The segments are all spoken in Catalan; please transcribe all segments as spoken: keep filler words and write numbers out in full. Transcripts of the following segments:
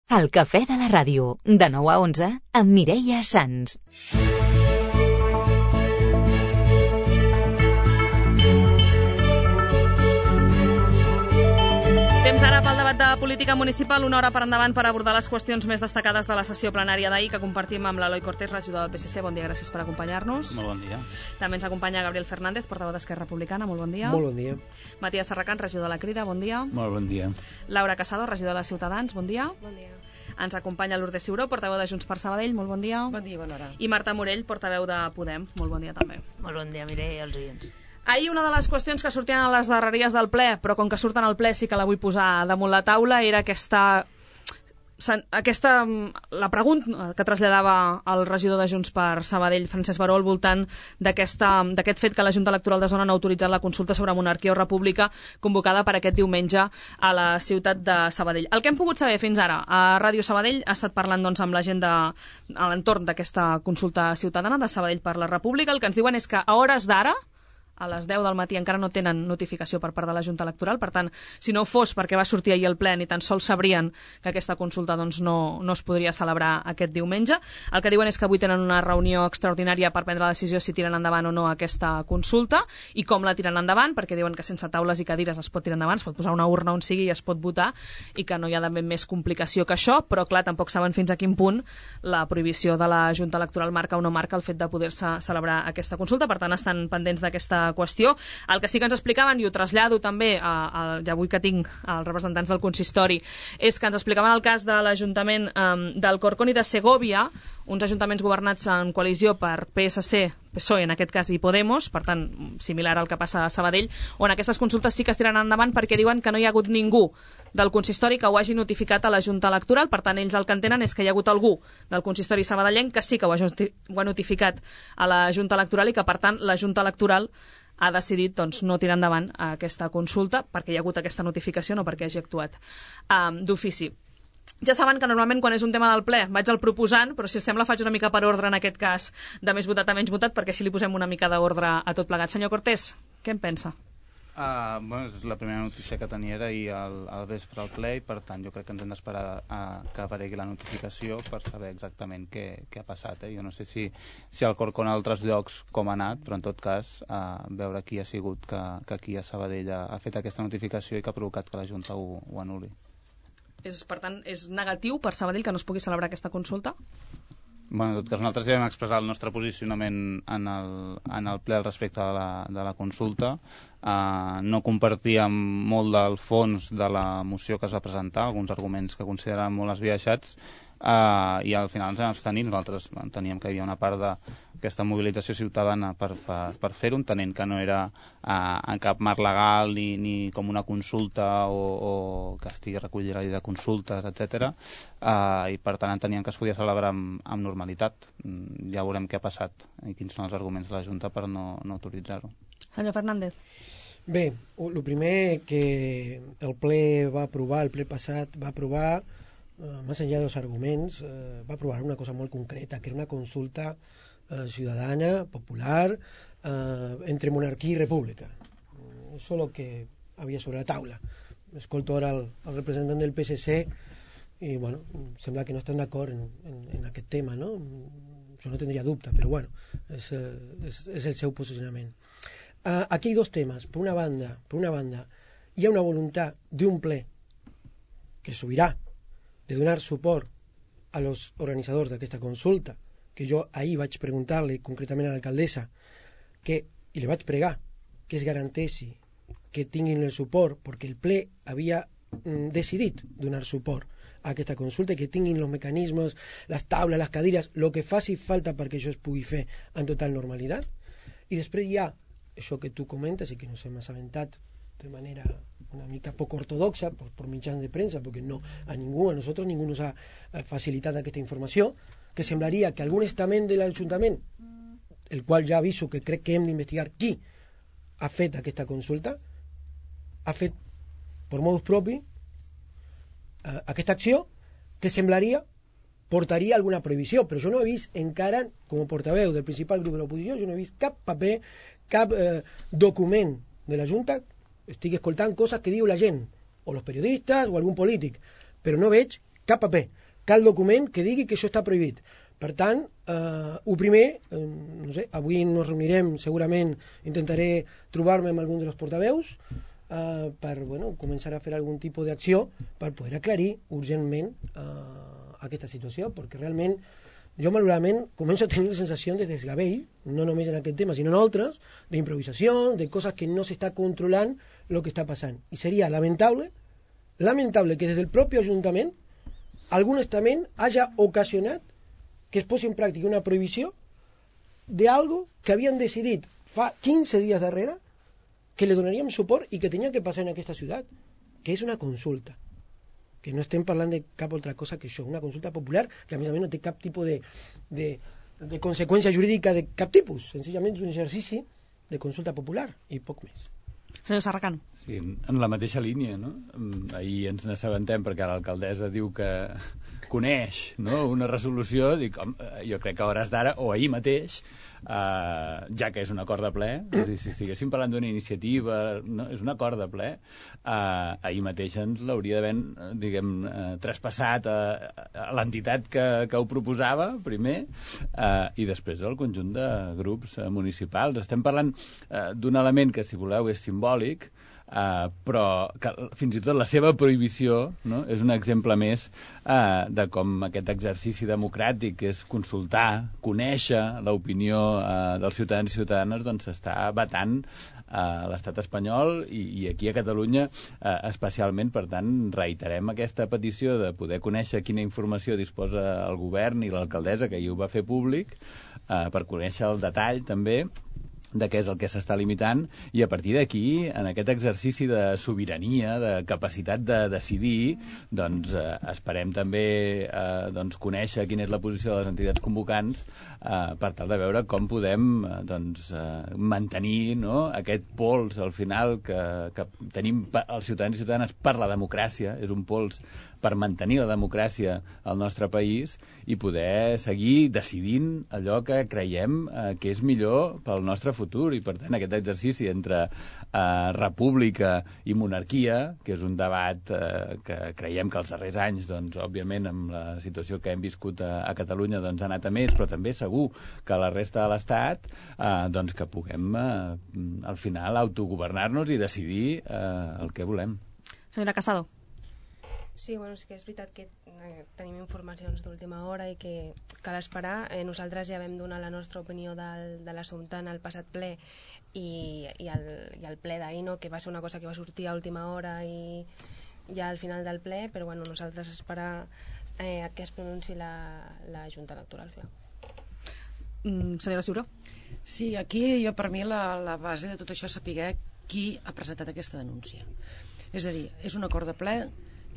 El cafè de la ràdio, de nou a onze, amb Mireia Sans. Temps ara pel debat de política municipal, una hora per endavant per abordar les qüestions més destacades de la sessió plenària d'ahir que compartim amb l'Eloi Cortés, regidor del P S C. Bon dia, gràcies per acompanyar-nos. Molt bon dia. També ens acompanya Gabriel Fernández, portaveu d'Esquerra Republicana. Molt bon dia. Molt bon dia. Matías Serracant, regidor de la Crida. Bon dia. Molt bon dia. Laura Casado, regidor de Ciutadans. Bon dia. Bon dia. Ens acompanya Lourdes Ciuró, portaveu de Junts per Sabadell. Molt bon dia. Bon dia, bona hora. I Marta Morell, portaveu de Podem. Molt bon dia també. Molt bon dia, Mireia i els oients. Ahir una de les qüestions que sortien a les darreries del ple, però com que surten al ple sí que la vull posar damunt la taula, era aquesta, aquesta la pregunta que traslladava el regidor de Junts per Sabadell, Francesc Baró, al voltant d'aquest fet que la Junta Electoral de Zona no ha autoritzat la consulta sobre monarquia o república convocada per aquest diumenge a la ciutat de Sabadell. El que hem pogut saber fins ara a Ràdio Sabadell ha estat parlant doncs, amb la gent de, a l'entorn d'aquesta consulta ciutadana de Sabadell per la República. El que ens diuen és que a hores d'ara, a les deu del matí, encara no tenen notificació per part de la Junta Electoral. Per tant, si no fos perquè va sortir ahir el ple, ni tan sols sabrien que aquesta consulta doncs, no, no es podria celebrar aquest diumenge. El que diuen és que avui tenen una reunió extraordinària per prendre la decisió si tiren endavant o no aquesta consulta i com la tiren endavant, perquè diuen que sense taules i cadires es pot tirar endavant, es pot posar una urna on sigui i es pot votar i que no hi ha d'haver més complicació que això, però clar, tampoc saben fins a quin punt la prohibició de la Junta Electoral marca o no marca el fet de poder-se celebrar aquesta consulta. Per tant, estan pendents d'aquesta qüestió. El que sí que ens explicaven, i ho trasllado també, a, a, ja avui que tinc els representants del consistori, és que ens explicaven el cas de l'Ajuntament um, d'Alcorcón i de Segovia, uns ajuntaments governats en coalició per P S C, P S O E en aquest cas i Podemos, per tant, similar al que passa a Sabadell, on aquestes consultes sí que es tiraran endavant perquè diuen que no hi ha hagut ningú del consistori que ho hagi notificat a la Junta Electoral. Per tant, ells el que entenen és que hi ha hagut algú del consistori sabadellenc que sí que ho ha, ho ha notificat a la Junta Electoral i que, per tant, la Junta Electoral ha decidit doncs, no tirar endavant aquesta consulta perquè hi ha hagut aquesta notificació, no perquè hagi actuat um, d'ofici. Ja saben que normalment quan és un tema del ple vaig al proposant, però si us sembla faig una mica per ordre en aquest cas de més votat a menys votat, perquè així li posem una mica d'ordre a tot plegat. Senyor Cortés, què en pensa? Uh, bueno, és la primera notícia que tenia era ahir al, al vespre al ple i per tant jo crec que ens hem d'esperar uh, que aparegui la notificació per saber exactament què, què ha passat. Eh? Jo no sé si, si al Corcón a altres llocs com ha anat, però en tot cas uh, veure qui ha sigut que, que aquí a Sabadell ha, ha fet aquesta notificació i que ha provocat que la Junta ho, ho anul·li. És, per tant, és negatiu per Sabadell que no es pugui celebrar aquesta consulta? Bueno, en tot cas, nosaltres ja vam expressar el nostre posicionament en el, en el ple al respecte de la, de la consulta. Uh, no compartíem molt del fons de la moció que es va presentar, alguns arguments que consideràvem molt esbiaixats, uh, i al final ens vam abstenir. Nosaltres enteníem que hi havia una part d'aquesta mobilització ciutadana per, per, per fer-ho, entenent que no era uh, en cap marc legal ni, ni com una consulta o, o que estigui recollida la llei de consultes, etcètera. Uh, I per tant enteníem que es podia celebrar amb, amb normalitat. Mm, ja veurem què ha passat i quins són els arguments de la Junta per no, no autoritzar-ho. Senyor Fernández. Bé, el primer que el ple va aprovar, el ple passat va aprovar, eh, més enllà dels arguments, eh, va aprovar una cosa molt concreta, que era una consulta eh, ciudadana, popular, eh, entre monarquia i república. Això és el que havia sobre la taula. Escolto ara el, el representant del P S C i, bueno, sembla que no estan d'acord en, en, en aquest tema, no? Jo no tindria dubte, però, bueno, és, és, és el seu posicionament. Uh, aquí hay dos temas. Por una banda, por una banda, hi ha una voluntat d'un ple que subirà de donar suport a los organitzadors d'aquesta consulta, que jo ahir vaig preguntar-li concretament a l'alcaldessa que, i li vaig pregar que es garanteixi que tinguin el suport, perquè el ple havia mm, decidit donar suport a aquesta consulta i que tinguin els mecanismes, les taules, les cadires, el que faci falta perquè això es pugui fer en total normalitat. I després hi ha això que tu comentes i que nos hem assabentat de manera una mica poc ortodoxa por, por mitjans de premsa, perquè no, a ningú, a nosaltres ningú nos ha facilitat aquesta informació, que semblaria que algun estament de l'Ajuntament, el qual ja aviso que crec que hem d'investigar qui ha fet aquesta consulta, ha fet per modus propi eh, aquesta acció que semblaria portaria alguna prohibició, però jo no he vist encara, com a portaveu del principal grup de l'oposició, jo no he vist cap paper, cap eh, document de la Junta. Estic escoltant coses que diu la gent, o els periodistes, o algun polític, però no veig cap paper. cal document que digui que això està prohibit. Per tant, eh, el primer, eh, no sé, avui nos reunirem, segurament intentaré trobar-me amb algun dels portaveus eh, per bueno, començar a fer algun tipus d'acció per poder aclarir urgentment eh, aquesta situació, perquè realment jo malauradament començo a tenir la sensació de desgavell, no només en aquest tema, sinó en altres, d'improvisació, de coses que no s'està controlant el que està passant. I seria lamentable, lamentable que des del propi Ajuntament algun estament hagi ocasionat que es posi en pràctica una prohibició d'algo que havien decidit fa quinze dies darrere que li donaríem suport i que tenia que passar en aquesta ciutat, que és una consulta. Que no estem parlant de cap altra cosa que això, una consulta popular que a més a més no té cap tipus de, de, de conseqüència jurídica de cap tipus, senzillament és un exercici de consulta popular i poc més. Senyor Serracant. Sí, en la mateixa línia, no? Ahir ens n'assabentem perquè l'alcaldessa diu que coneix, no?, una resolució, dic, home, jo crec que a hores d'ara, o ahir mateix, eh, ja que és un acord de ple, és dir, si estiguéssim parlant d'una iniciativa, no? És un acord de ple, eh, ahir mateix ens l'hauria d'haver, diguem, eh, traspassat a, a l'entitat que, que ho proposava, primer, eh, i després al conjunt de grups eh, municipals. Estem parlant eh, d'un element que, si voleu, és simbòlic, Uh, però que, fins i tot la seva prohibició, no?, és un exemple més uh, de com aquest exercici democràtic, que és consultar, conèixer l'opinió uh, dels ciutadans i ciutadanes, doncs s'està batant a l'estat espanyol i, i aquí a Catalunya eh, especialment. Per tant, reiterem aquesta petició de poder conèixer quina informació disposa el govern i l'alcaldessa, que ahir ho va fer públic, eh, per conèixer el detall també de què és el que s'està limitant, i a partir d'aquí, en aquest exercici de sobirania, de capacitat de decidir, doncs eh, esperem també eh, doncs, conèixer quina és la posició de les entitats convocants eh, per tal de veure com podem eh, doncs, eh, mantenir, no?, aquest pols al final que, que tenim els ciutadans i ciutadanes per la democràcia, és un pols per mantenir la democràcia al nostre país i poder seguir decidint allò que creiem eh, que és millor pel nostre futur. I per tant aquest exercici entre eh, república i monarquia, que és un debat eh, que creiem que els darrers anys, doncs, òbviament amb la situació que hem viscut a, a Catalunya, doncs, ha anat a més, però també segur que a la resta de l'Estat eh, doncs que puguem eh, al final autogovernar-nos i decidir eh, el que volem. Senyora Casado. Sí, bueno, és que és veritat que eh, tenim informacions d'última hora i que cal esperar. Eh, nosaltres ja vam donar la nostra opinió del, de l'assumpte en el passat ple i, i, el, i el ple d'ahir, no?, que va ser una cosa que va sortir a última hora i ja al final del ple, però bueno, nosaltres esperar eh, que es pronunciï la, la Junta Electoral. Mm, senyora Ciuró. Sí, aquí jo per mi la, la base de tot això és saber qui ha presentat aquesta denúncia. És a dir, és un acord de ple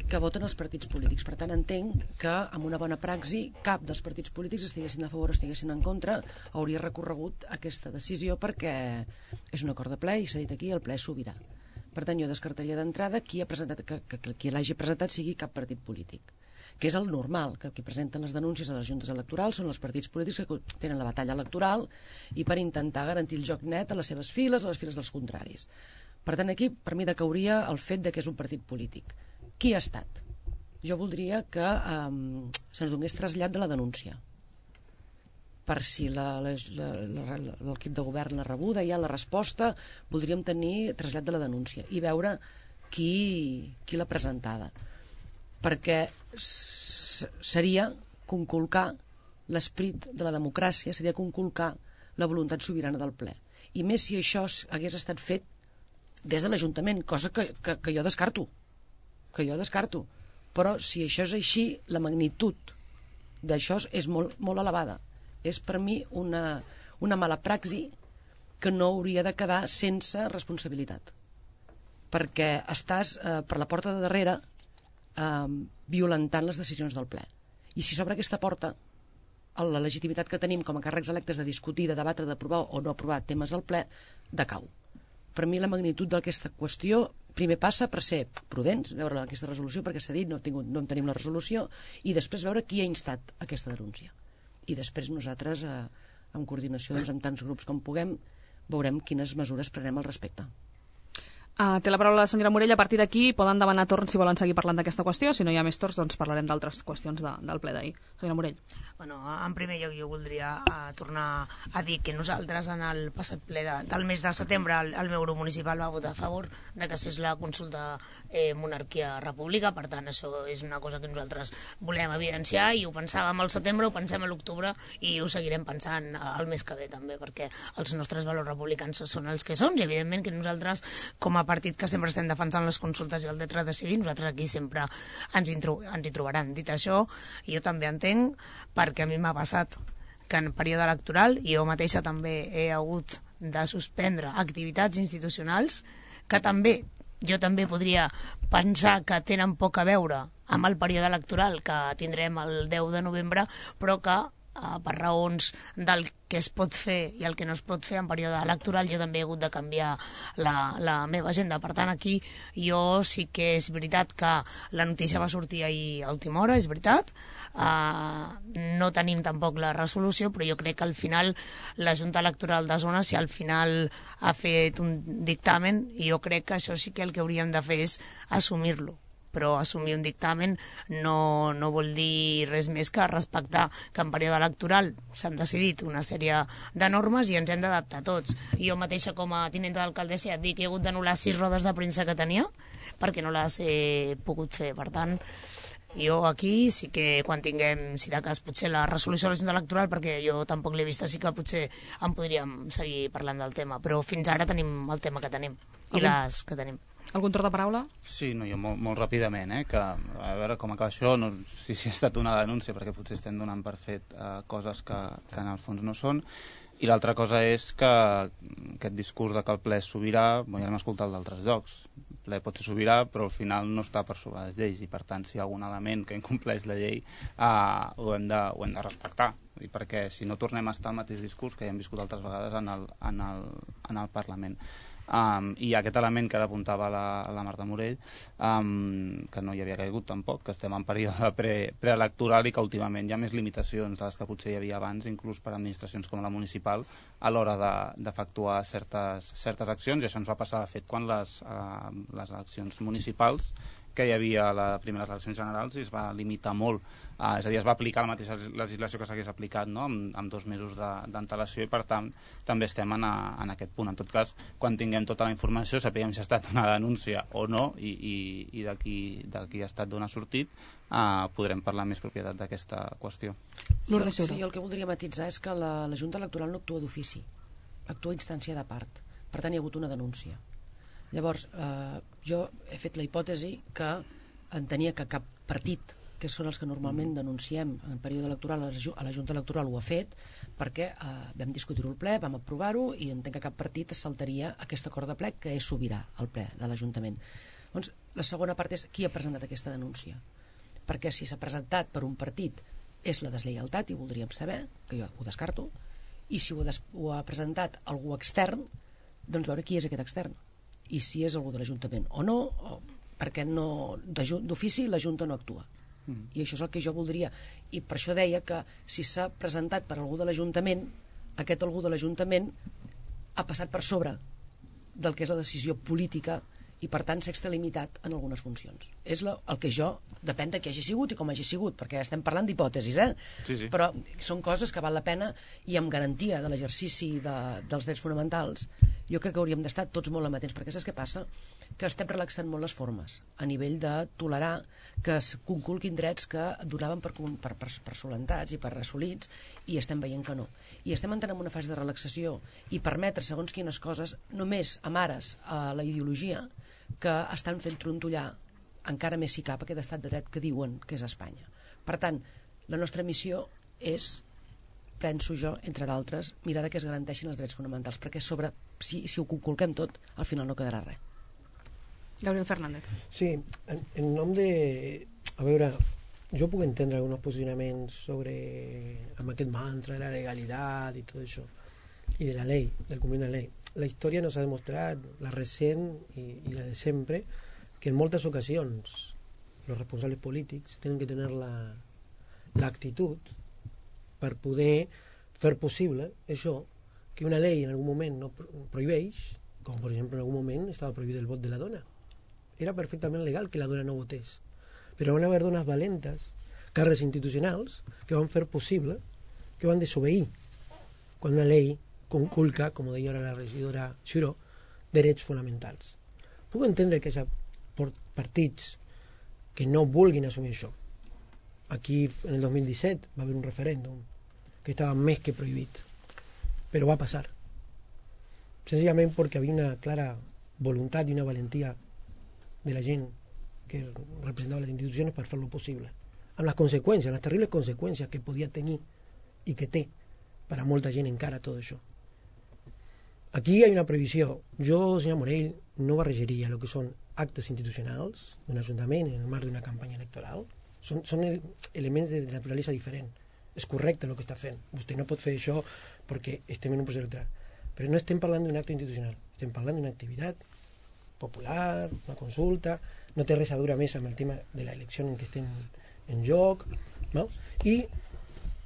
que voten els partits polítics. Per tant, entenc que amb una bona praxi cap dels partits polítics, estiguessin a favor o estiguessin en contra, hauria recorregut aquesta decisió, perquè és un acord de ple i s'ha dit aquí, el ple és sobirà. Per tant, jo descartaria d'entrada qui ha presentat, que, que, que qui l'hagi presentat sigui cap partit polític, que és el normal, que qui presenten les denúncies a les juntes electorals són els partits polítics que tenen la batalla electoral i per intentar garantir el joc net a les seves files, a les files dels contraris. Per tant, aquí, per mi, decauria el fet de que és un partit polític. Qui ha estat? Jo voldria que eh, se'ns donés trasllat de la denúncia, per si l'equip de govern l'ha rebuda, ja la resposta, voldríem tenir trasllat de la denúncia i veure qui, qui l'ha presentada, perquè seria conculcar l'esperit de la democràcia, seria conculcar la voluntat sobirana del ple, i més si això hagués estat fet des de l'Ajuntament, cosa que, que, que jo descarto que jo descarto, però si això és així, la magnitud d'això és molt, molt elevada. És per mi una, una mala praxi que no hauria de quedar sense responsabilitat, perquè estàs eh, per la porta de darrere eh, violentant les decisions del ple. I si s'obre aquesta porta, la legitimitat que tenim com a càrrecs electes de discutir, de debatre, d'aprovar o no aprovar temes al ple, decau. Per mi la magnitud d'aquesta qüestió primer passa per ser prudents, veure aquesta resolució, perquè s'ha dit, no, tingut, no en tenim la resolució, i després veure qui ha instat aquesta denúncia. I després nosaltres, eh, en coordinació doncs, amb tants grups com puguem, veurem quines mesures prenem al respecte. Uh, té la paraula la senyora Morell. A partir d'aquí poden demanar torn si volen seguir parlant d'aquesta qüestió. Si no hi ha més torns, doncs parlarem d'altres qüestions de, del ple d'ahir. Senyora Morell. Bueno, en primer lloc jo voldria uh, tornar a dir que nosaltres en el passat ple de, del mes de setembre el, el meu grup municipal va votar a favor de que fes la consulta eh, monarquia-república. Per tant, això és una cosa que nosaltres volem evidenciar i ho pensàvem al setembre, ho pensem a l'octubre i ho seguirem pensant el mes que ve també, perquè els nostres valors republicans són els que són i evidentment que nosaltres, com a partit que sempre estem defensant les consultes i el dret a decidir, nosaltres aquí sempre ens hi, ens hi trobaran. Dit això, jo també entenc, perquè a mi m'ha passat que en període electoral jo mateixa també he hagut de suspendre activitats institucionals que també, jo també podria pensar que tenen poc a veure amb el període electoral que tindrem el deu de novembre, però que Uh, per raons del que es pot fer i el que no es pot fer en període electoral jo també he hagut de canviar la, la meva agenda. Per tant, aquí jo sí que és veritat que la notícia va sortir ahir a última hora, és veritat, uh, no tenim tampoc la resolució, però jo crec que al final la Junta Electoral de Zona, si al final ha fet un dictamen, jo crec que això sí que el que hauríem de fer és assumir-lo, però assumir un dictamen no, no vol dir res més que respectar que en període electoral s'han decidit una sèrie de normes i ens hem d'adaptar tots. I jo mateixa com a tinenta d'alcaldessa ja et dic que he hagut d'anul·lar sis rodes de premsa que tenia perquè no les he pogut fer. Per tant, jo aquí sí que quan tinguem, si de cas, potser la resolució de la Junta Electoral, perquè jo tampoc l'he vista, sí que potser en podríem seguir parlant del tema, però fins ara tenim el tema que tenim i les que tenim. Algun torn de paraula? Sí, no, jo molt, molt ràpidament, eh, que a veure com acaba això, no, si, si ha estat una denúncia, perquè potser estem donant per fet eh, coses que, que en el fons no són, i l'altra cosa és que aquest discurs de que el ple és sobirà, bon, ja l'hem escoltat d'altres llocs, el ple pot ser sobirà, però al final no està per sobre les lleis, i per tant, si hi ha algun element que incompleix la llei, eh, ho, hem de, ho hem de respectar, i perquè si no tornem a estar al mateix discurs que ja hem viscut altres vegades en el, en el, en el Parlament. Um, i aquest element que ara apuntava la, la Marta Morell, um, que no hi havia caigut tampoc, que estem en període pre, preelectoral i que últimament hi ha més limitacions de les que potser hi havia abans, inclús per administracions com la municipal, a l'hora d'efectuar de, certes, certes accions, i això ens va passar de fet quan les, uh, les eleccions municipals que hi havia a les primeres eleccions generals i es va limitar molt, uh, és a dir, es va aplicar la mateixa legislació que s'hagués aplicat, no? amb, amb dos mesos d'antelació de, i per tant també estem en, a, en aquest punt. En tot cas, quan tinguem tota la informació, sapiguem si ha estat una denúncia o no i, i, i de qui ha estat d'on ha sortit, uh, podrem parlar amb més propietat d'aquesta qüestió. Sí, sí, el que voldria matitzar és que la, la Junta Electoral no actua d'ofici, actua a instància de part, per tant hi ha hagut una denúncia. Llavors, eh, jo he fet la hipòtesi que entenia que cap partit, que són els que normalment denunciem en període electoral, a la Junta Electoral ho ha fet, perquè eh, vam discutir-ho al ple, vam aprovar-ho, i entenc que cap partit es saltaria aquest acord de ple que és sobirà al ple de l'Ajuntament. Doncs la segona part és qui ha presentat aquesta denúncia. Perquè si s'ha presentat per un partit és la deslleialtat, i voldríem saber, que jo ho descarto, i si ho, des ho ha presentat algú extern, doncs veure qui és aquest extern. I si és algú de l'Ajuntament o no, o perquè no, d'ofici la Junta no actua. Mm. I això és el que jo voldria. I per això deia que si s'ha presentat per algú de l'Ajuntament, aquest algú de l'Ajuntament ha passat per sobre del que és la decisió política i per tant s'ha extralimitat en algunes funcions. És la, el que jo, depèn de qui hagi sigut i com hagi sigut, perquè estem parlant d'hipòtesis, eh? Sí, sí. Però són coses que val la pena i amb garantia de l'exercici de, dels drets fonamentals. Jo crec que hauríem d'estar tots molt amatents, perquè saps què passa? Que estem relaxant molt les formes a nivell de tolerar que es conculquin drets que donaven per, per, per, per solentats i per assolits, i estem veient que no. I estem entrant en una fase de relaxació i permetre segons quines coses només amb ares a la ideologia que estan fent trontollar encara més si cap aquest estat de dret que diuen que és Espanya. Per tant, la nostra missió és, penso jo, entre d'altres, mirar que es garanteixin els drets fonamentals, perquè sobre, si, si ho conculquem tot, al final no quedarà res. Gabriel Fernández. Sí, en, en nom de... A veure, jo puc entendre alguns posicionaments sobre amb aquest mantra de la legalitat i tot això, i de la llei, del compliment de la llei. La història nos ha demostrat, la recent i, i la de sempre, que en moltes ocasions els responsables polítics tenen que tenir l'actitud per poder fer possible això, que una llei en algun moment no prohibeix com per exemple en algun moment estava prohibit el vot de la dona. Era perfectament legal que la dona no votés, però van haver dones valentes, càrrecs institucionals, que van fer possible, que van desobeir quan una llei conculca, com deia ara la regidora Xuró, drets fonamentals. Puc entendre que hi ha partits que no vulguin assumir això. Aquí, en el dos mil disset, va haver un referèndum que estava més que prohibit, però va passar. Senzillament perquè havia una clara voluntat i una valentia de la gent que representava les institucions per fer-lo possible, amb les conseqüències, les terribles conseqüències que podia tenir i que té per a molta gent encara tot això. Aquí hi ha una previsió. Jo, senyor Morell, no barrejaria el que són actes institucionals d'un ajuntament en el marc d'una campanya electoral. Són, són elements de naturalesa diferent. És correcte el que està fent. Vostè no pot fer això perquè estem en un procés electoral. Però no estem parlant d'un acte institucional. Estem parlant d'una activitat popular, una consulta. No té res a veure més amb el tema de l'elecció en què estem en joc. No? I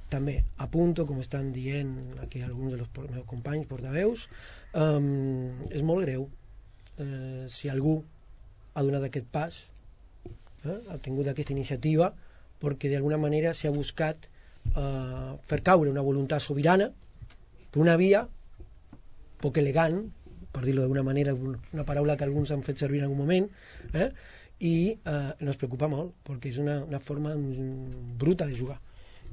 també apunto, com estan dient aquí alguns dels meus companys portaveus, um, és molt greu uh, si algú ha donat aquest pas, eh, ha tingut aquesta iniciativa, perquè d'alguna manera s'ha buscat uh, fer caure una voluntat sobirana per una via poc elegant, per dir-ho d'alguna manera, una paraula que alguns han fet servir en algun moment, eh, i uh, ens preocupa molt, perquè és una, una forma bruta de jugar.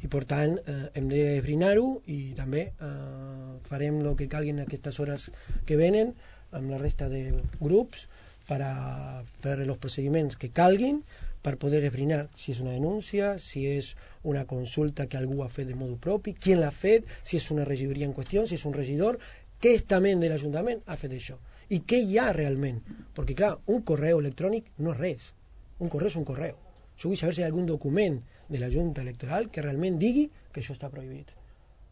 I per tant eh, hem d'esbrinar-ho i també eh, farem el que calgui en aquestes hores que venen amb la resta de grups per a fer els procediments que calguin per poder esbrinar si és una denúncia, si és una consulta que algú ha fet de modo propi, qui l'ha fet, si és una regidoria en qüestió, si és un regidor, què estament de l'Ajuntament ha fet això i què hi ha realment, perquè clar, un correu electrònic no és res, un correu és un correu. Jo vull saber si hi ha algun document de la Junta Electoral que realment digui que això està prohibit,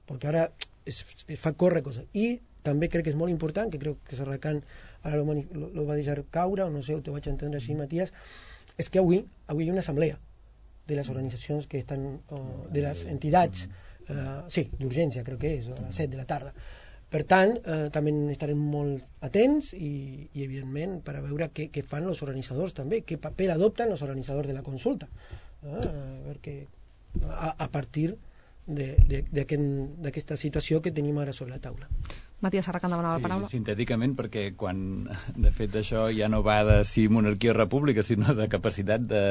perquè ara es, es fa córrer coses. I també crec que és molt important, que crec que Serracant ara lo, lo, lo va deixar caure, o no sé, ho te vaig entendre així, Matías, és que avui, avui hi ha una assemblea de les organitzacions que estan, o, de les entitats, eh, sí, d'urgència crec que és, a les set de la tarda. Per tant, eh, també estarem molt atents i, i evidentment, per a veure què, què fan els organitzadors també, què paper adopten els organitzadors de la consulta. Eh, perquè a, a partir d'aquesta situació que tenim ara sobre la taula. Matías Serracant demanava la paraula. Sí, sintèticament, perquè quan de fet això ja no va de si monarquia o república, sinó de capacitat de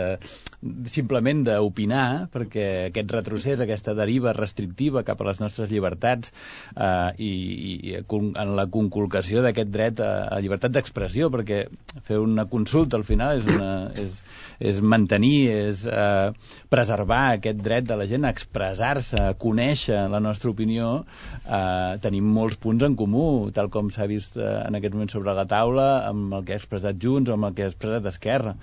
simplement d'opinar, perquè aquest retrocés, aquesta deriva restrictiva cap a les nostres llibertats eh, i, i en la conculcació d'aquest dret a, a llibertat d'expressió, perquè fer una consulta al final és, una, és, és mantenir, és eh, preservar aquest dret de la gent a expressar-se, a conèixer la nostra opinió. Eh, tenim molts punts en comú, tal com s'ha vist eh, en aquest moment sobre la taula, amb el que ha expressat Junts o amb el que ha expressat Esquerra.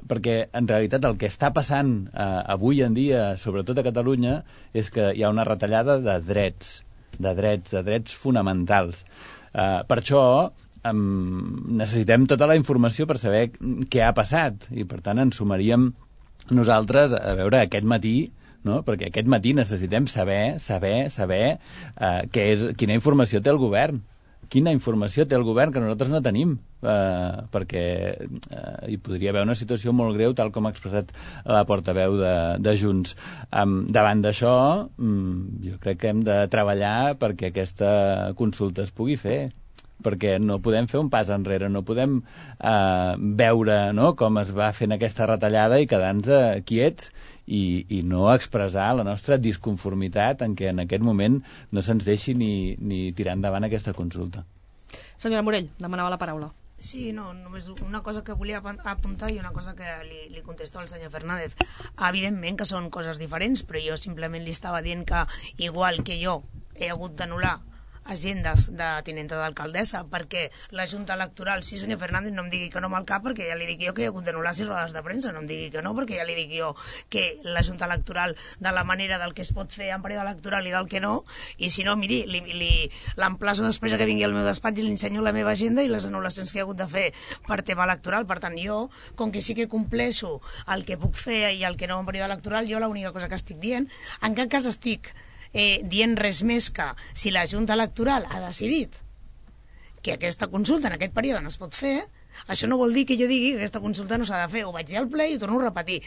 Perquè, en realitat, el que està passant eh, avui en dia, sobretot a Catalunya, és que hi ha una retallada de drets, de drets, de drets fonamentals. Eh, per això eh, necessitem tota la informació per saber què ha passat, i per tant ens sumaríem nosaltres a veure aquest matí, no? Perquè aquest matí necessitem saber, saber, saber eh, què és, quina informació té el govern. Quina informació té el govern que nosaltres no tenim, eh, perquè eh, hi podria haver una situació molt greu, tal com ha expressat la portaveu de, de Junts. Um, davant d'això, um, jo crec que hem de treballar perquè aquesta consulta es pugui fer, perquè no podem fer un pas enrere, no podem eh, veure, no?, com es va fent aquesta retallada i quedar-nos eh, quiets i, i no expressar la nostra disconformitat en què en aquest moment no se'ns deixi ni, ni tirar endavant aquesta consulta. Senyora Morell, demanava la paraula. Sí, no, només una cosa que volia apuntar i una cosa que li, li contesto al senyor Fernández. Evidentment que són coses diferents, però jo simplement li estava dient que igual que jo he hagut d'anul·lar agendes de tinenta d'alcaldessa perquè la Junta Electoral, sí senyor Fernández, no em digui que no amb el cap perquè ja li dic jo que he hagut d'anul·lar sis rodes de premsa, no em digui que no perquè ja li dic jo que la Junta Electoral de la manera del que es pot fer en període electoral i del que no, i si no, miri, li, li, l'emplaço després que vingui al meu despatx i li ensenyo la meva agenda i les anul·lacions que he hagut de fer per tema electoral. Per tant, jo, com que sí que compleixo el que puc fer i el que no en període electoral, jo l'única cosa que estic dient, en cap cas estic Eh, dient res més que si la Junta Electoral ha decidit que aquesta consulta en aquest període no es pot fer, això no vol dir que jo digui que aquesta consulta no s'ha de fer. Ho vaig dir al ple i ho torno a repetir.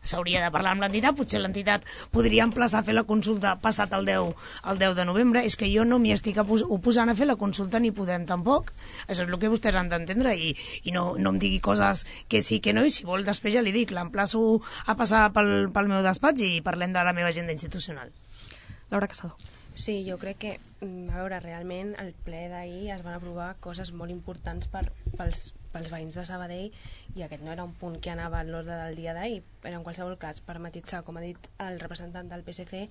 S'hauria de parlar amb l'entitat, potser l'entitat podria emplaçar a fer la consulta passat el deu, el deu de novembre. És que jo no m'hi estic oposant a fer la consulta ni podem tampoc. Això és el que vostès han d'entendre i, i no, no em digui coses que sí que no, i si vol després ja li dic, l'emplaço a passar pel, pel meu despatx i parlem de la meva agenda institucional. Laura Casado. Sí, jo crec que, a veure, realment el ple d'ahir es van aprovar coses molt importants per, pels, pels veïns de Sabadell i aquest no era un punt que anava a l'ordre del dia d'ahir, però en qualsevol cas, per matitzar, com ha dit el representant del P S C,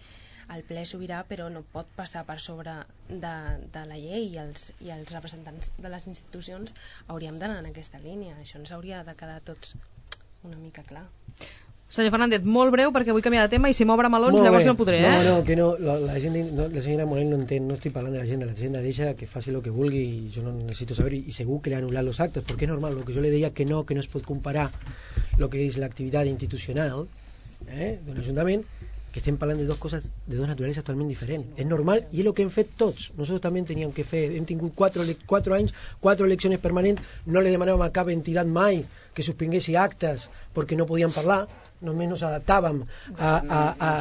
el ple sobirà però no pot passar per sobre de, de la llei i els, i els representants de les institucions hauríem d'anar en aquesta línia. Això ens hauria de quedar tots una mica clar. Senyor Fernández, molt breu perquè vull canviar de tema i si m'obre melons Molt llavors bé. no podré, eh? No, no, que no, la, la, gent, no, la senyora Morell no entén, no estic parlant de la agenda, la agenda deixa que faci lo que vulgui i jo no necesito saber y según que le anular los actos, porque es normal, lo que yo le decía que no, que no es pot comparar lo que es la actividad institucional eh, d'un ajuntament, que estem parlant de dos coses, de dos naturaleses totalment diferents. És normal i és el que hem fet tots. Nosaltres també teníem que fer, hem tingut quatre, quatre anys, quatre eleccions permanents, no le demanàvem a cap entitat mai que suspenguessi actes perquè no podían parlar, només nos adaptàvem a, a, a,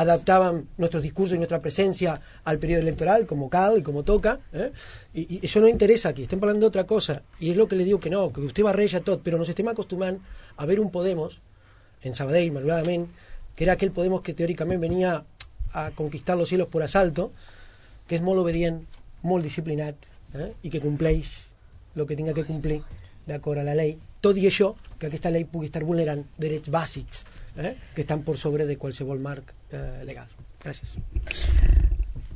adaptàvem nuestros discursos y nuestra presencia al periodo electoral como cal y como toca eh? y, y eso no interesa aquí, estem parlant d'altra cosa i és lo que le diu que no, que usted barreja tot, però nos estem acostumant a ver un Podemos en Sabadell, malauradament, que era aquell Podemos que teòricament venia a conquistar los cielos por asalto, que és molt obedient, molt disciplinat eh? i que compleix el que tinga que complir d'acord a la llei, tot i això que aquesta llei pugui estar vulnerant drets bàsics eh? que estan per sobre de qualsevol marc eh, legal. Gràcies.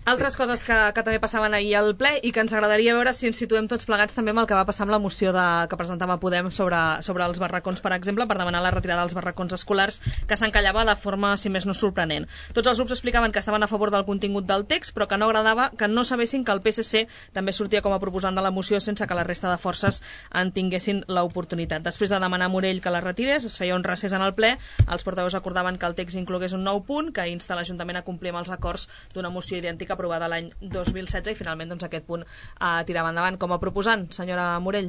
Altres coses que, que també passaven ahir al ple i que ens agradaria veure si ens situem tots plegats també amb el que va passar amb la moció de, que presentava Podem sobre, sobre els barracons, per exemple, per demanar la retirada dels barracons escolars, que s'encallava de forma, si més no, sorprenent. Tots els grups explicaven que estaven a favor del contingut del text, però que no agradava que no sabessin que el P S C també sortia com a proposant de la moció sense que la resta de forces en tinguessin l'oportunitat. Després de demanar a Morell que la retirés, es feia un recés en el ple, els portaveus acordaven que el text inclogués un nou punt que insta l'Ajuntament a complir amb els acords d'una moció idèntica aprovada l'any dos mil setze i finalment doncs, aquest punt eh, tirava endavant com a proposant. Senyora Morell.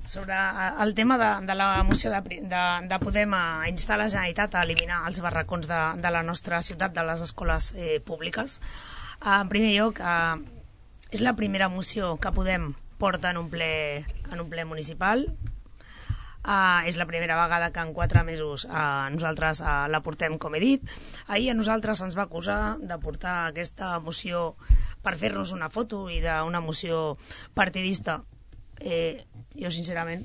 Sobre el tema de, de la moció de, de, de Podem a instar la Generalitat a eliminar els barracons de, de la nostra ciutat, de les escoles eh, públiques. En primer lloc, eh, és la primera moció que Podem porta en un ple, en un ple municipal. Uh, és la primera vegada que en quatre mesos uh, nosaltres uh, la portem, com he dit. Ahir a nosaltres ens va acusar de portar aquesta moció per fer-nos una foto i d'una moció partidista. Eh, jo, sincerament,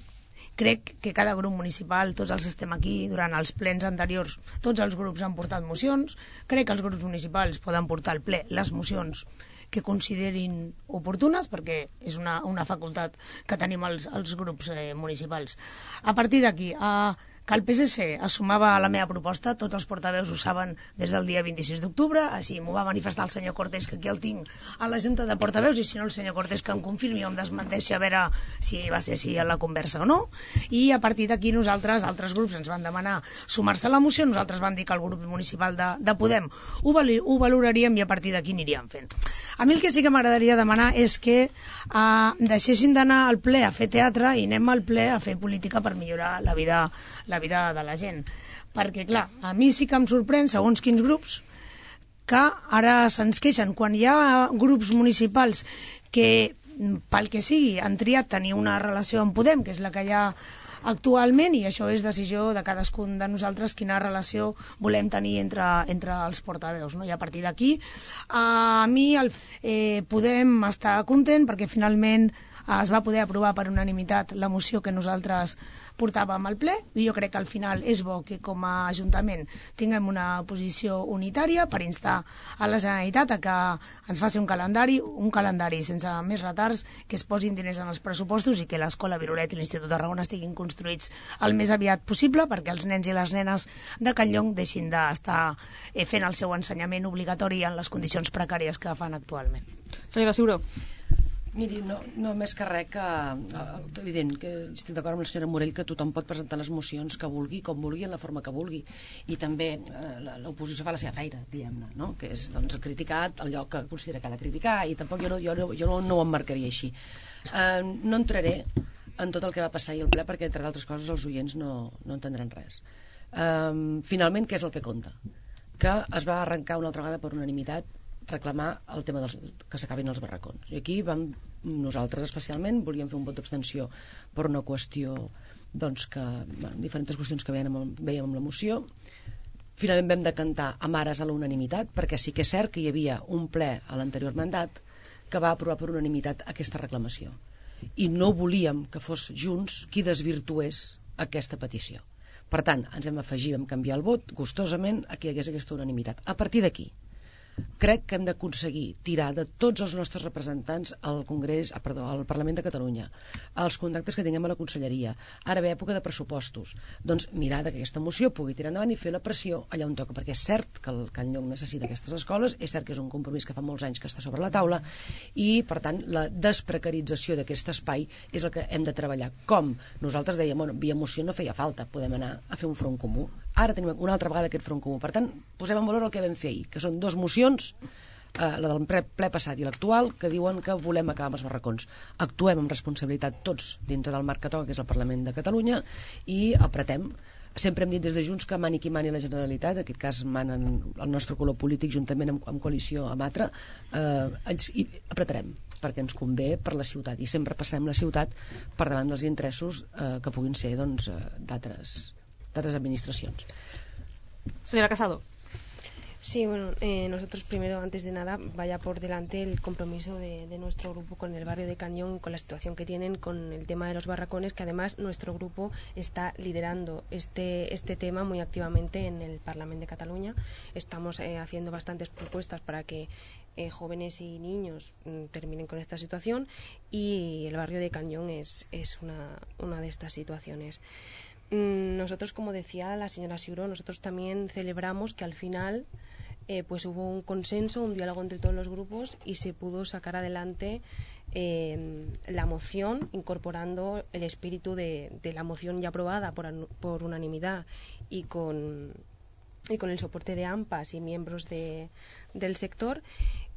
crec que cada grup municipal, tots els que estem aquí, durant els plens anteriors, tots els grups han portat mocions. Crec que els grups municipals poden portar al ple les mocions que considerin oportunes, perquè és una, una facultat que tenim els, els grups eh, municipals. A partir d'aquí, eh, que el P S C es sumava a la meva proposta, tots els portaveus ho saben des del dia vint-i-sis d'octubre, així m'ho va manifestar el senyor Cortés, que aquí el tinc a la junta de portaveus, i si no el senyor Cortés que em confirmi o em desmenteixi a veure si va ser així a la conversa o no. I a partir d'aquí nosaltres, altres grups ens van demanar sumar-se a la moció, nosaltres vam dir que el grup municipal de, de Podem ho, val, ho valoraríem i a partir d'aquí aniríem fent. A mi el que sí que m'agradaria demanar és que eh, deixessin d'anar al ple a fer teatre i anem al ple a fer política per millorar la vida, la vida de la gent. Perquè, clar, a mi sí que em sorprèn, segons quins grups, que ara se'ns queixen. Quan hi ha grups municipals que, pel que sigui, han triat tenir una relació amb Podem, que és la que hi ha actualment, i això és decisió de cadascun de nosaltres quina relació volem tenir entre, entre els portaveus, no? I a partir d'aquí a mi el, eh, podem estar content perquè finalment eh, es va poder aprovar per unanimitat la moció que nosaltres portàvem al ple, i jo crec que al final és bo que com a Ajuntament tinguem una posició unitària per instar a la Generalitat a que ens faci un calendari, un calendari sense més retards, que es posin diners en els pressupostos i que l'Escola Virolet i l'Institut de Tarragona estiguin construïts el més aviat possible perquè els nens i les nenes de Can Llong deixin d'estar eh, fent el seu ensenyament obligatori en les condicions precàries que fan actualment. Senyora Ciuró. Miri, no, no més que res que, eh, evident, que estic d'acord amb la senyora Morell que tothom pot presentar les mocions que vulgui, com vulgui, en la forma que vulgui. I també eh, l'oposició fa la seva feina, diguem-ne, no? Que és doncs, criticar allò que considera que ha de criticar, i tampoc jo no, jo no, jo no, no ho emmarcaria així. Eh, no entraré en tot el que va passar ahir al ple, perquè, entre d'altres coses, els oients no, no entendran res. Eh, finalment, què és el que compta? Que es va arrencar una altra vegada per unanimitat reclamar el tema dels, que s'acabin els barracons. I aquí vam, nosaltres especialment, volíem fer un vot d'abstenció per una qüestió, doncs, que, bueno, diferents qüestions que veiem amb, veiem amb la moció. Finalment vam decantar amb ares a la unanimitat, perquè sí que és cert que hi havia un ple a l'anterior mandat que va aprovar per unanimitat aquesta reclamació. I no volíem que fos Junts qui desvirtués aquesta petició. Per tant, ens hem afegit, vam canviar el vot, gustosament, a que hi hagués aquesta unanimitat. A partir d'aquí, crec que hem d'aconseguir tirar de tots els nostres representants al Congrés, ah, perdó, al Parlament de Catalunya, els contactes que tinguem a la Conselleria, ara ve època de pressupostos, doncs mirar que aquesta moció pugui tirar endavant i fer la pressió allà on toca, perquè és cert que el Can Llong necessita aquestes escoles, és cert que és un compromís que fa molts anys que està sobre la taula, i per tant la desprecarització d'aquest espai és el que hem de treballar. Com? Nosaltres dèiem, bueno, via moció no feia falta, podem anar a fer un front comú. Ara tenim una altra vegada aquest front comú. Per tant, posem en valor el que vam fer ahir, que són dues mocions, eh, la del ple, ple passat i l'actual, que diuen que volem acabar amb els barracons. Actuem amb responsabilitat tots dintre del marc que toca, que és el Parlament de Catalunya, i apretem. Sempre hem dit des de Junts que mani qui mani la Generalitat, en aquest cas manen el nostre color polític juntament amb, amb coalició amb altra, eh, ens, i apretarem, perquè ens convé per la ciutat, i sempre passarem la ciutat per davant dels interessos eh, que puguin ser doncs, d'altres d'altres administracions. Señora Casado. Sí, bueno, eh, nosotros primero, antes de nada, vaya por delante el compromiso de, de nuestro grupo con el barrio de Can Llong, con la situación que tienen con el tema de los barracones, que además nuestro grupo está liderando este, este tema muy activamente en el Parlamento de Cataluña. Estamos eh, haciendo bastantes propuestas para que eh, jóvenes y niños mm, terminen con esta situación, y el barrio de Can Llong es, es una, una de estas situaciones. Nosotros, como decía la señora Ciuró, nosotros también celebramos que al final eh, pues hubo un consenso, un diálogo entre todos los grupos, y se pudo sacar adelante eh, la moción, incorporando el espíritu de, de la moción ya aprobada por, por unanimidad y con, y con el soporte de AMPAs y miembros de, del sector,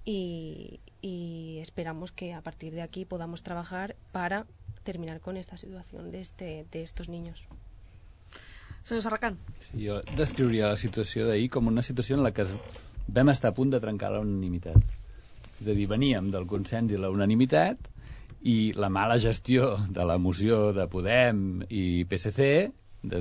y, y esperamos que a partir de aquí podamos trabajar para terminar con esta situación de, este, de estos niños. Senyor Serracant. Sí, jo descriuria la situació d'ahir com una situació en la que vam estar a punt de trencar la unanimitat. És a dir, veníem del consens i la unanimitat, i la mala gestió de la moció de Podem i P S C, de,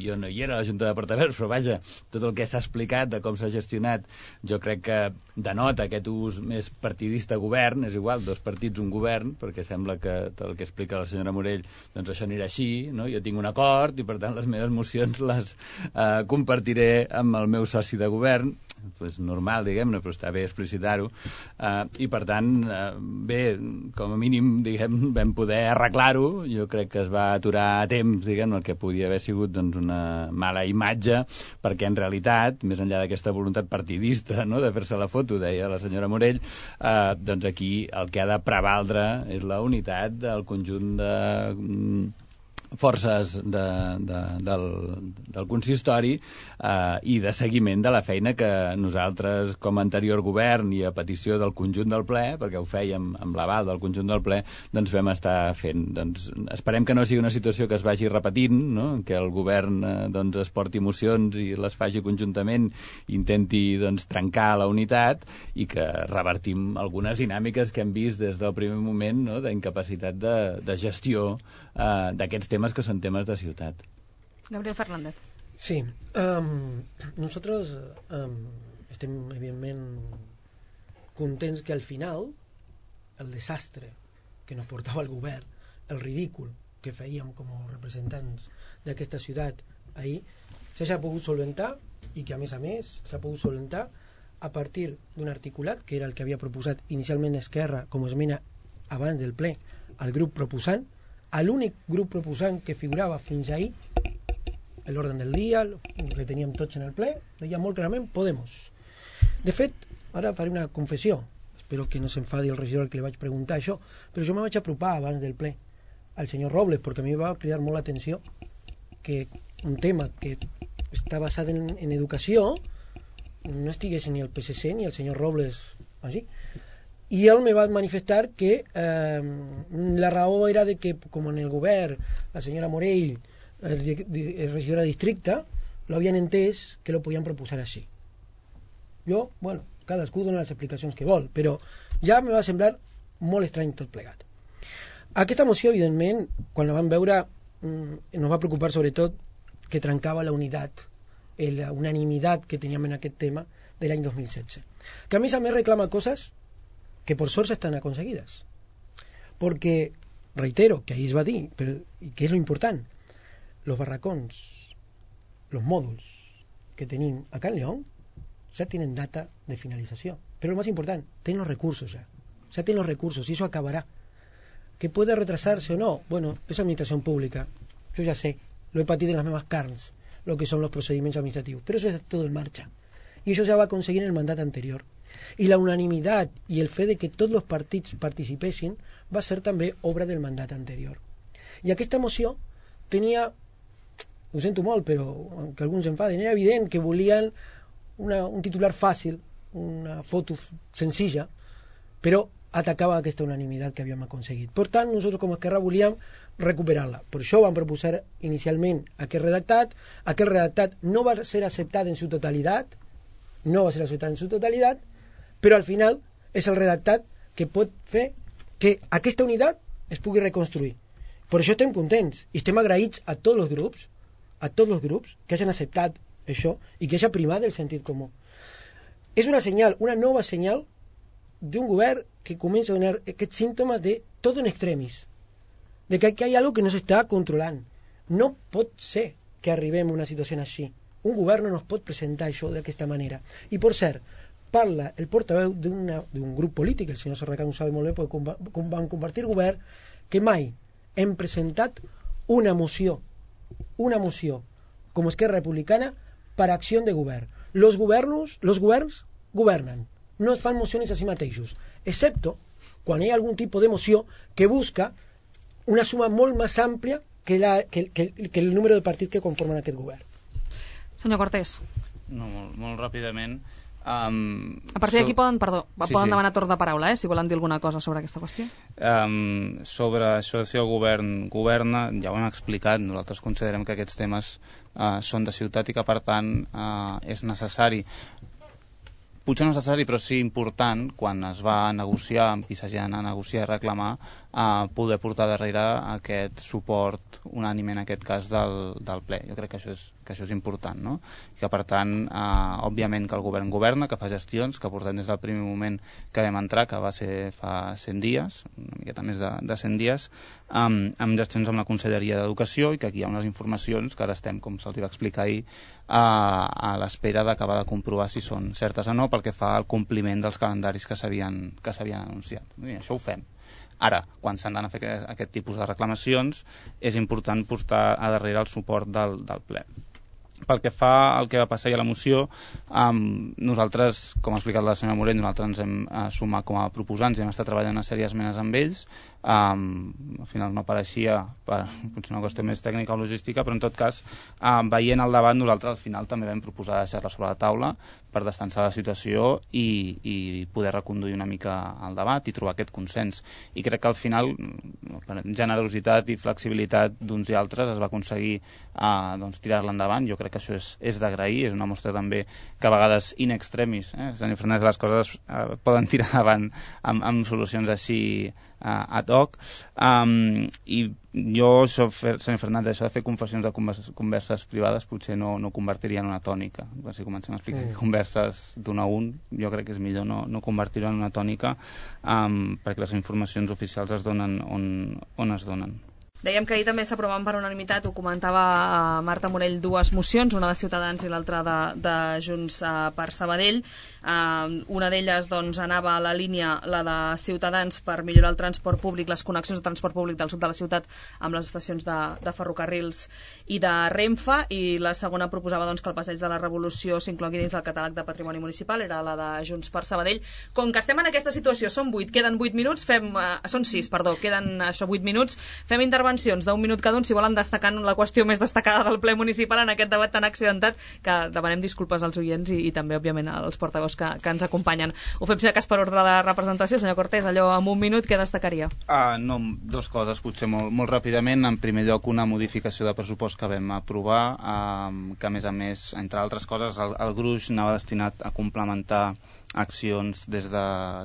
jo no hi era a la Junta de Portaveus, però vaja, tot el que s'ha explicat de com s'ha gestionat, jo crec que denota aquest ús més partidista govern, és igual, dos partits, un govern, perquè sembla que tot el que explica la senyora Morell, doncs això anirà així, no? Jo tinc un acord i per tant les meves mocions les eh, compartiré amb el meu soci de govern, pues normal, diguem-ne, però està bé explicitar-ho, uh, i per tant, uh, bé, com a mínim, diguem, vam poder arreglar-ho. Jo crec que es va aturar a temps, diguem, el que podia haver sigut doncs, una mala imatge, perquè en realitat, més enllà d'aquesta voluntat partidista, no?, de fer-se la foto, deia la senyora Morell, uh, doncs aquí el que ha de prevaldre és la unitat del conjunt de forces de, de, del, del consistori eh, i de seguiment de la feina que nosaltres, com a anterior govern i a petició del conjunt del ple, perquè ho fèiem amb l'aval del conjunt del ple, doncs vam estar fent. Doncs esperem que no sigui una situació que es vagi repetint, no?, que el govern eh, doncs es porti mocions i les faci conjuntament, intenti doncs, trencar la unitat, i que revertim algunes dinàmiques que hem vist des del primer moment, no?, d'incapacitat de, de gestió eh, d'aquests temes que son temas de ciutat. Gabriel Fernández. Sí, um, nosotros um, estem evidentment contents que al final el desastre que nos portava el govern, el ridícul que fèiem com a representants d'aquesta ciutat ahir, s'ha pogut solventar, i que a més a més s'ha pogut solventar a partir d'un articulat que era el que havia proposat inicialment Esquerra com a esmena abans del ple al grup proposant, a l'únic grup proposant que figurava fins ahir l'ordre del dia, que teníem tots en el ple, deia molt clarament Podemos. De fet, ara faré una confessió, espero que no s'enfadi el regidor al que li vaig preguntar això, però jo me vaig apropar abans del ple al senyor Robles, perquè a mi va cridar molt l'atenció que un tema que està basat en, en educació no estigués ni el P S C ni el senyor Robles així. I ell me va manifestar que eh, la raó era de que, com en el govern, la senyora Morell, el, el regidor de districte, lo havien entès que lo podien proposar així. Jo, bueno, cadascú dona les explicacions que vol, però ja me va semblar molt estrany tot plegat. Aquesta moció, evidentment, quan la vam veure, ens va preocupar sobretot que trencava la unitat, la unanimitat que teníem en aquest tema de l'any dos mil setze. Que a més a més reclama coses que por sort estan aconseguides. Perquè, reitero, que ahir es va dir, però, i que és lo important, los barracons, los mòduls que tenim a Can León ya tienen data de finalización. Pero lo más importante, tienen los recursos ya. Ya tienen los recursos y eso acabará. ¿Que puede retrasarse o no? Bueno, es administración pública. Yo ya sé, lo he patido en las mismas carnes, lo que son los procedimientos administrativos. Pero eso está todo en marcha. Y eso ya va a conseguir en el mandato anterior. Y la unanimidad y el fe de que tots els partits participessin va ser també obra del mandat anterior. I aquesta moció tenia, ho sento molt, però que alguns s'enfaden, era evident que volien una, un titular fàcil, una foto senzilla, però atacava aquesta unanimitat que havíem aconseguit. Per tant, nosaltres com a Esquerra volíem recuperar-la. Per això vam proposar inicialment aquest redactat. Aquest redactat no va ser acceptat en su totalitat, no va ser acceptat en su totalitat, però al final és el redactat que pot fer que aquesta unitat es pugui reconstruir. Per això estem contents i estem agraïts a tots els grups, a tots els grups que hagin acceptat això i que hagi primat el sentit comú. És una senyal, una nova senyal d'un govern que comença a donar aquests símptomes de tot en extremis, de que aquí hi ha alguna que no s'està controlant. No pot ser que arribem a una situació així. Un govern no nos pot presentar això d'aquesta manera. I per cert, parla el portaveu d'un grup polític, el senyor Serracant ho sabe molt bé, perquè com van compartir govern, que mai hem presentat una moció, una moció com Esquerra Republicana per acció de govern. Los governos, los governs governen, no es fan mocions a si mateixos, excepto quan hi ha algun tipus de moció que busca una suma molt més àmplia que, la, que, que, que el número de partits que conformen aquest govern. Senyor Cortés. No, molt, molt ràpidament. Um, a partir d'aquí so... poden, perdó, sí, poden sí. demanar torn de paraula, eh, si volen dir alguna cosa sobre aquesta qüestió. Um, sobre això de si el govern governa, ja ho hem explicat, nosaltres considerem que aquests temes uh, són de ciutat i que per tant uh, és necessari, potser no necessari però sí important, quan es va a negociar, amb qui s'hagi d'anar a negociar i reclamar, a poder portar darrere aquest suport unànime en aquest cas del, del ple. Jo crec que això és, que això és important, no? I que per tant, eh, òbviament que el govern governa, que fa gestions, que portem des del primer moment que vam entrar, que va ser fa cent dies, una miqueta més de, de cent dies, amb, amb gestions amb la Conselleria d'Educació, i que aquí hi ha unes informacions que ara estem, com se'ls va explicar ahir, a, a l'espera d'acabar de comprovar si són certes o no, pel que fa al compliment dels calendaris que s'havien que s'havien anunciat. I això ho fem. Ara, quan s'han d'anar a fer aquest tipus de reclamacions, és important portar a darrere el suport del, del ple. Pel que fa al que va passar a la moció, um, nosaltres, com ha explicat la senyora Morell, nosaltres ens hem uh, sumat com a proposants i hem estat treballant una sèrie d'esmenes amb ells. Um, al final no apareixia per potser una qüestió més tècnica o logística, però en tot cas, um, veient el debat, nosaltres al final també vam proposar deixar-la sobre la taula per destensar la situació i, i poder reconduir una mica el debat i trobar aquest consens. I crec que al final, per generositat i flexibilitat d'uns i altres, es va aconseguir uh, doncs, tirar-la endavant. Jo crec que això és, és d'agrair, és una mostra també que a vegades in extremis, eh? senyor Fernández, les coses uh, poden tirar endavant amb, amb solucions així uh, ad hoc, um, i jo, això, senyor Fernández, això de fer confessions de converses, converses privades potser no, no convertiria en una tònica. Si comencem a explicar mm. converses d'un a un, jo crec que és millor no, no convertir-ho en una tònica, um, perquè les informacions oficials es donen on, on es donen. Dèiem que ahir també s'aprovaven per unanimitat, ho comentava Marta Morell, dues mocions, una de Ciutadans i l'altra de, de Junts per Sabadell. Uh, una d'elles doncs, anava a la línia, la de Ciutadans, per millorar el transport públic, les connexions de transport públic del sud de la ciutat amb les estacions de, de ferrocarrils i de Renfe, i la segona proposava doncs, que el Passeig de la Revolució s'inclogui dins el catàleg de patrimoni municipal, era la de Junts per Sabadell. Com que estem en aquesta situació, són vuit, queden vuit minuts, fem, uh, són sis, perdó, queden això, vuit minuts, fem intervenció d'un minut cada un, si volen destacar la qüestió més destacada del ple municipal en aquest debat tan accidentat, que demanem disculpes als oients i, i també, òbviament, als portaveus que, que ens acompanyen. Ho fem, si de cas, per ordre de representació. Senyor Cortés, allò amb un minut, què destacaria? Ah, no, dos coses, potser molt, molt ràpidament. En primer lloc, una modificació de pressupost que vam aprovar, eh, que, a més a més, entre altres coses, el, el gruix anava destinat a complementar accions des de,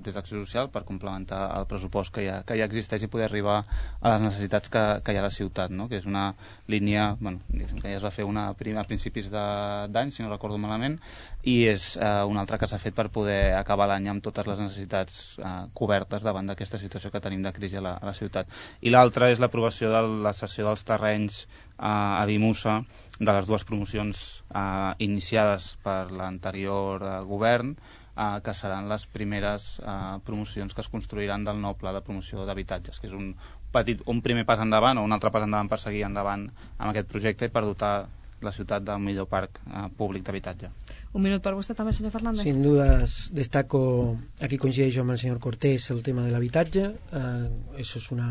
des d'Acció Social per complementar el pressupost que ja, que ja existeix i poder arribar a les necessitats que, que hi ha a la ciutat, no? Que és una línia, bueno, que ja es va fer una a principis d'any, si no recordo malament, i és eh, una altra que s'ha fet per poder acabar l'any amb totes les necessitats eh, cobertes davant d'aquesta situació que tenim de crisi a la, a la ciutat. I l'altra és l'aprovació de la cessió dels terrenys eh, a Vimusa de les dues promocions eh, iniciades per l'anterior eh, govern, Uh, que seran les primeres uh, promocions que es construiran del nou pla de promoció d'habitatges, que és un, petit, un primer pas endavant o un altre pas endavant per seguir endavant amb aquest projecte i per dotar la ciutat del millor parc uh, públic d'habitatge. Un minut per vostè també, senyor Fernández. Sin dudas destaco, aquí coincideixo amb el senyor Cortés, el tema de l'habitatge. Eh, això és una,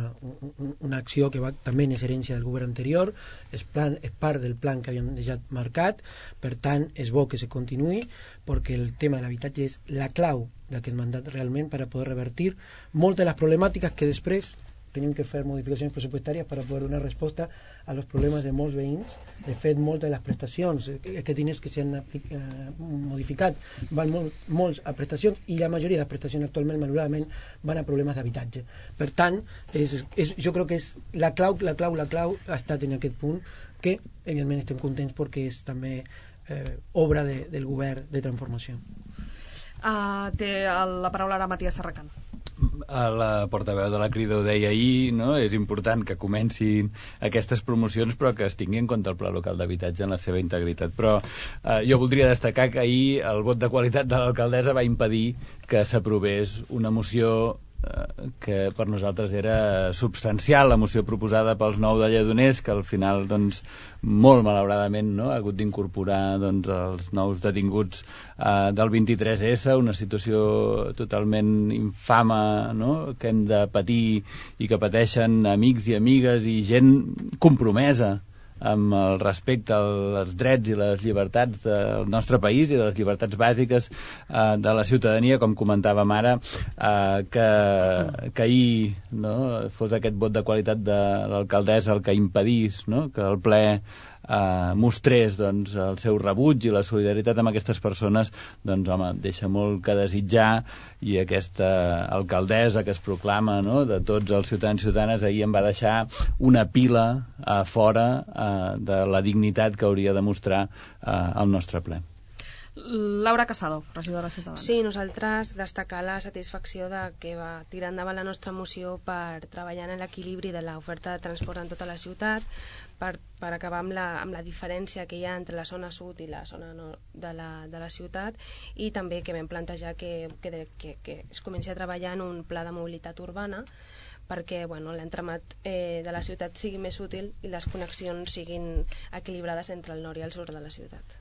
una acció que va, també és herència del govern anterior, és, plan, és part del plan que havíem deixat marcat, per tant és bo que se continuï, perquè el tema de l'habitatge és la clau d'aquest mandat realment per a poder revertir moltes de les problemàtiques que després tenim que fer modificacions pressupostàries per a poder donar resposta a los problemes de molts veïns. De fet, moltes de les prestacions, aquests diners que s'han eh, modificat, van molt, molts a prestacions, i la majoria de les prestacions actualment, malauradament, van a problemes d'habitatge. Per tant, és, és, jo crec que és la clau, la clau, la clau ha estat en aquest punt, que evidentment estem contents perquè és també eh, obra de, del govern de transformació. Uh, té la paraula ara Matías Serracant. La portaveu de la Crida ho deia ahir, no? És important que comencin aquestes promocions, però que es tingui en compte el pla local d'habitatge en la seva integritat. Però eh, jo voldria destacar que ahir el vot de qualitat de l'alcaldessa va impedir que s'aprovés una moció que per nosaltres era substancial, la moció proposada pels nou de Lledoners, que al final, doncs, molt malauradament, no?, ha hagut d'incorporar, doncs, els nous detinguts eh, del vint-i-tres essa, una situació totalment infama, no?, que hem de patir i que pateixen amics i amigues i gent compromesa amb el respecte als drets i les llibertats del nostre país i les llibertats bàsiques eh, de la ciutadania, com comentàvem ara, eh, que, que ahir, no?, fos aquest vot de qualitat de l'alcaldessa el que impedís, no?, que el ple eh, mostrés, doncs, el seu rebuig i la solidaritat amb aquestes persones, doncs, home, deixa molt que desitjar, i aquesta alcaldessa que es proclama, no?, de tots els ciutadans i ciutadanes, ahir em va deixar una pila a fora eh, de la dignitat que hauria de mostrar eh, el nostre ple. Laura Casado, regidora de Ciutadans. Sí, nosaltres destacar la satisfacció de que va tirar endavant la nostra moció per treballar en l'equilibri de l'oferta de transport en tota la ciutat, per, per acabar amb la, amb la diferència que hi ha entre la zona sud i la zona nord de la, de la ciutat, i també que vam plantejar que, que, que, que es comenci a treballar en un pla de mobilitat urbana perquè, bueno, l'entramat eh, de la ciutat sigui més útil i les connexions siguin equilibrades entre el nord i el sud de la ciutat.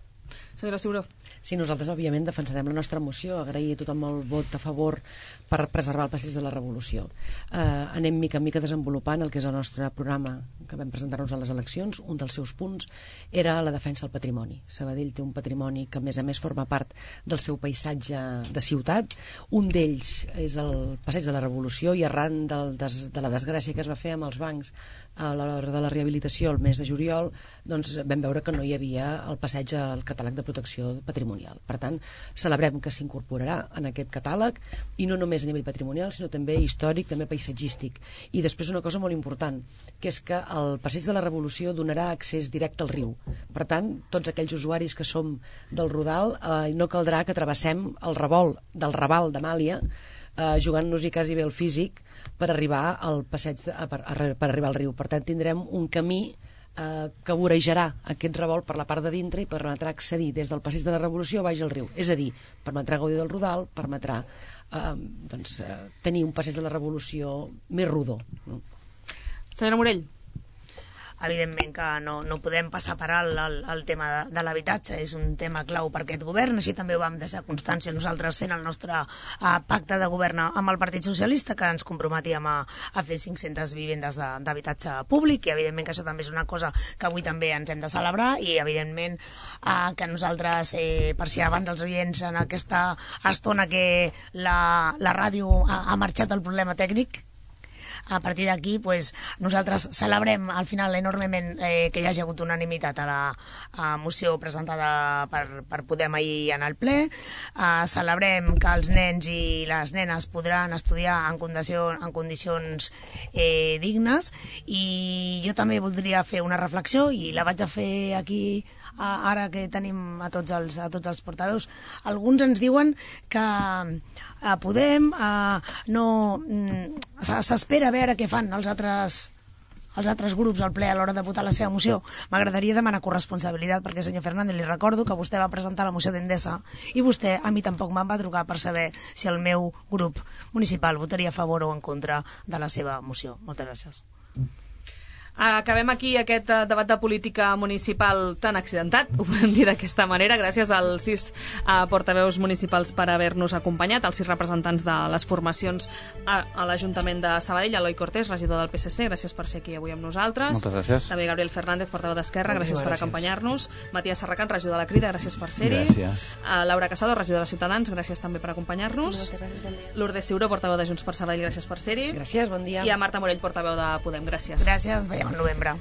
Senyora Ciuró. Sí, nosaltres òbviament defensarem la nostra moció, agrair a tothom el vot a favor per preservar el Passeig de la Revolució. Eh, anem mica en mica desenvolupant el que és el nostre programa que vam presentar-nos a les eleccions. Un dels seus punts era la defensa del patrimoni. Sabadell té un patrimoni que a més a més forma part del seu paisatge de ciutat. Un d'ells és el Passeig de la Revolució, i arran del des, de la desgràcia que es va fer amb els bancs a l'hora de la rehabilitació el mes de juliol, doncs vam veure que no hi havia el passeig al catàleg de protecció patrimonial. Per tant, celebrem que s'incorporarà en aquest catàleg, i no només a nivell patrimonial, sinó també històric, també paisatgístic. I després una cosa molt important, que és que el Passeig de la Revolució donarà accés directe al riu. Per tant, tots aquells usuaris que som del Rodal, eh, no caldrà que travessem el revolt del Raval d'Amàlia eh, jugant-nos-hi quasi bé el físic per arribar al passeig de, per, per arribar al riu. Per tant, tindrem un camí eh, que vorejarà aquest revolt per la part de dintre i permetrà accedir des del passeig de la Revolució baix al riu. És a dir, permetrà gaudir del Rodal, permetrà eh, doncs, eh, tenir un passeig de la Revolució més rodó. No? Senyora Morell. Evidentment que no, no podem passar per alt el, el tema de, de l'habitatge, és un tema clau per aquest govern, així també ho vam deixar constància nosaltres fent el nostre uh, pacte de govern amb el Partit Socialista, que ens comprometíem a, a fer cinc-centes vivendes d'habitatge públic, i evidentment que això també és una cosa que avui també ens hem de celebrar, i evidentment uh, que nosaltres, eh, per si abans dels oients en aquesta estona que la, la ràdio ha, ha marxat el problema tècnic, a partir d'aquí pues, nosaltres celebrem al final enormement eh, que hi hagi hagut unanimitat a la a moció presentada per, per Podem ahir en el ple. Eh, celebrem que els nens i les nenes podran estudiar en, condició, en condicions eh, dignes, i jo també voldria fer una reflexió, i la vaig a fer aquí a, ara que tenim a tots els, a tots els portaveus. Alguns ens diuen que a Podem eh, no s'espera a veure què fan els altres els altres grups al ple a l'hora de votar la seva moció. M'agradaria demanar corresponsabilitat, perquè, senyor Fernández, li recordo que vostè va presentar la moció d'Endesa i vostè a mi tampoc me'n va trucar per saber si el meu grup municipal votaria a favor o en contra de la seva moció. Moltes gràcies. Acabem aquí aquest debat de política municipal tan accidentat, ho podem dir d'aquesta manera, gràcies als sis uh, portaveus municipals per haver-nos acompanyat, als sis representants de les formacions a, a l'Ajuntament de Sabadell, Eloi Cortés, regidor del P S C, gràcies per ser aquí avui amb nosaltres. Moltes gràcies. També Gabriel Fernández, portaveu d'Esquerra, gràcies, gràcies per acompanyar-nos. Matías Serracant, regidor de la Crida, gràcies per ser-hi. Gràcies. Uh, Laura Casado, regidora de Ciutadans, gràcies també per acompanyar-nos. Moltes gràcies, bon dia. Lourdes Ciuró, portaveu de Junts per Sabadell, gràcies per ser-hi. Gràcies, bon dia. I a Marta Morell, portaveu de Podem, gràcies. Gràcies, veiem al novembre.